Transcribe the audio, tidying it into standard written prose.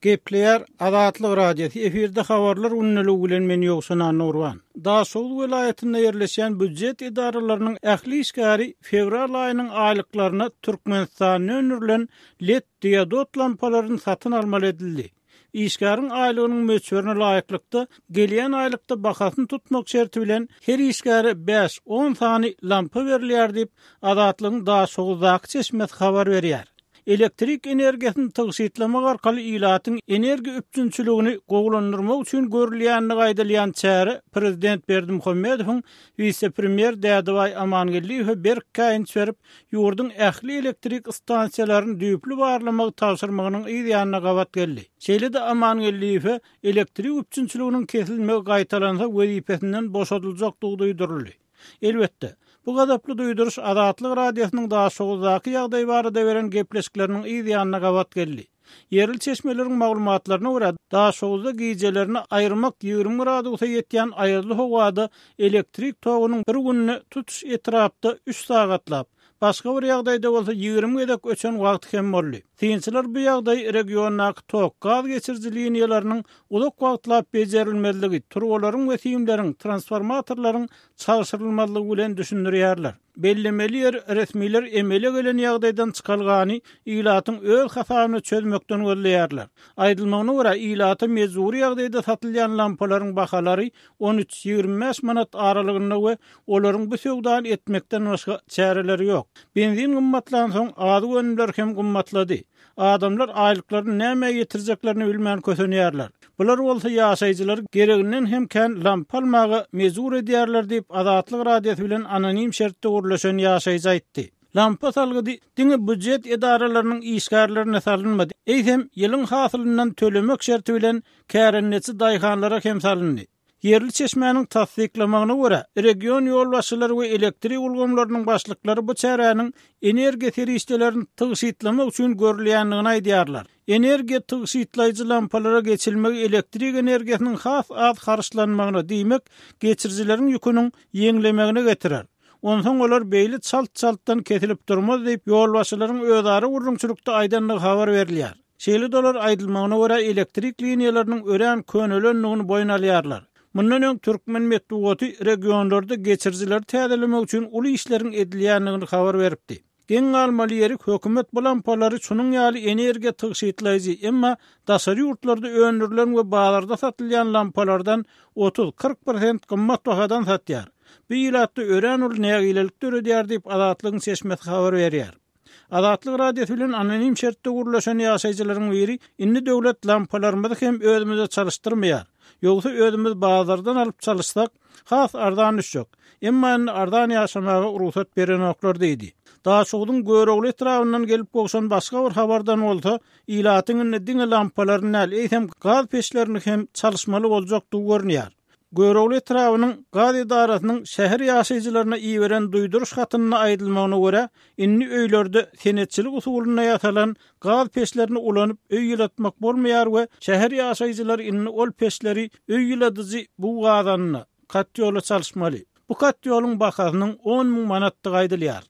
Gepleýär Azatlyk Radiosy, efirde habarlar gündeligi bilen men Ýowşan Annagurban. Daşoguz welaýatynda ýerleşýän býujet edaralarynyň ähli işgäri fewral aýynyň aýlyklaryna Türkmenistanda öndürilen led diodod lampalaryny satyn almaly edildi. Işgäriň aýlygynyň möçberine laýyklykda, gelýän aýlykda bahasyny tutmak şerti bilen her işgäre bäş-on sany lampa berilýär diýip, Azatlygyň Daşoguzdaky çeşmesi habar berýär. Elektrik energiýasyny tygşytlamak arkaly ilatyň energiýa üpjünçiligini gowulandyrmak üçin görülýändigi aýdylýan çäre prezident Berdimuhamedowyň wise-premýer Dädebaý Amangeldiýewe berk käýinç berip, ýurduň ähli elektrik stansiýalaryny düýpli barlamagy tabşyrmagynyň yz ýanyna gabat geldi. Şeýle-de Amangeldiýewe elektrik üpjünçiliginiň kesilmegi gaýtalansa wezipesinden boşadyljakdygy duýduryldy. Elbetde, bu gazaply duýduryş Azatlyk Radiosynyň Daşoguzdaky ýagdaý barada beren gepleşikleriniň yz ýanyna gabat geldi. Ýerli çeşmeleriň maglumatlaryna görä, Daşoguzda gijelerine aýyrmak 20 gradusa ýetýän aýazly howada elektrik togunyň bir günde tutuş etrapda üç sagatlap, başga bir ýagdaýda bolsa 20 gezek öçen wagty hem boldy. Synçylar bu ýagdaýy regiondaky tok, gaz geçiriji liniýalarynyň uzak wagtlap bejerilmezligi, turbalaryň we simleriň, transformatorlaryň çalşyrylmazlygy bilen düşündirýärler. Bellemeli ýeri, resmiler emele gelen ýagdaýdan çykalgany ilatyň öz hasabyna çözmekden gözleýärler. Aýdylmagyna görä, ilata mejbury ýagdaýda satylýan lampalaryň bahalary on üç, 25 manat aralygynda we olaryň bu söwdany etmekden başga çäreleri ýok. Benzin gymmatlansoň, azyk önümleri hem gymmatlady. Adamlar aýlyklaryny nämä ýetirjeklerini bilmän kösenýärler. Bular bolsa ýaşaýjylary gereginden hem kän lampa almaga mejbur edýärler diýip, Azatlyk Radiosy bilen anonim şertde gürleşen ýaşaýjy aýtdy. Lampa salgydy diňe býujet edaralarynyň işgärlerine salynmady, eýsem, ýylyň hasylyndan tölemek şerti bilen kärendeçi daýhanlara hem salyndy. Ýerli çeşmäniň tassyklamagyna görä, region ýolbaşçylary we elektrik ulgamlarynyň başlyklary bu çäräniň energiýa serişdelerini tygşytlamak üçin görülýändigini aýdýarlar. Energiýa tygşytlaýjy lampalara geçilmegi elektrik energiýasynyň has az harçlanmagyna, diýmek, geçirijileriň ýüküniň ýeňlemegine getirer. Onsoň olar beýle çalt-çaltdan kesilip durmaz diýip, ýolbaşçylaryň özara gürrüňçilikde aýdandygy habar berilýär. Şeýle-de olar aýdylmagyna görä elektrik liniýalarynyň örän könelendigini boýun alýarlar. Mundan öň türkmen metbugaty regionlarda geçirijileri täzelemek üçin uly işleriň edilýändigini habar beripdi. Geň galmaly ýeri, hökümet bu lampalary şunuň ýaly energiýa tygşytlaýjy, emma daşary ýurtlarda öndürilen we bazarda satylýan lampalardan 30, 40 prosent gymmat bahadan satýar. Bu ilatda örän uly nägilelik döredýär diýip, Azatlygyň çeşmesi habar berýär. Azatlyk Radiosy bilen anonim şertde gürleşen ýaşaýjylaryň biri, Indi döwlet lampalarymyzy hem özümize çalyşdyrmaýar. Ýogsa özümiz bazardan alyp çalyşsak, has arzan düşjek. Emma indi arzan ýaşamaga rugsat berenoklar diýdi. Daşogzuň Görogly etrabyndan gelip gowşan başga bir habardan bolsa, ilatyň indi diňe lampalaryny däl, eýsem gaz peçlerini hem çalyşmaly boljakdygy görünýär. Görogly etrabynyň gaz edarasynyň şäher ýaşaýjylaryna iberen duýduryş hatynda aýdylmagyna görä, indi öýlerde senetçilik usulynda ýasalan gaz peçlerini ulanyp öý ýylatmak bolmaýar we şäher ýaşaýjylary indi ol peçleri öý ýyladyjy bug gazanyna, katýola çalyşmaly. Bu katýolyň bahasynyň 10 müň manatdygy aýdylýar.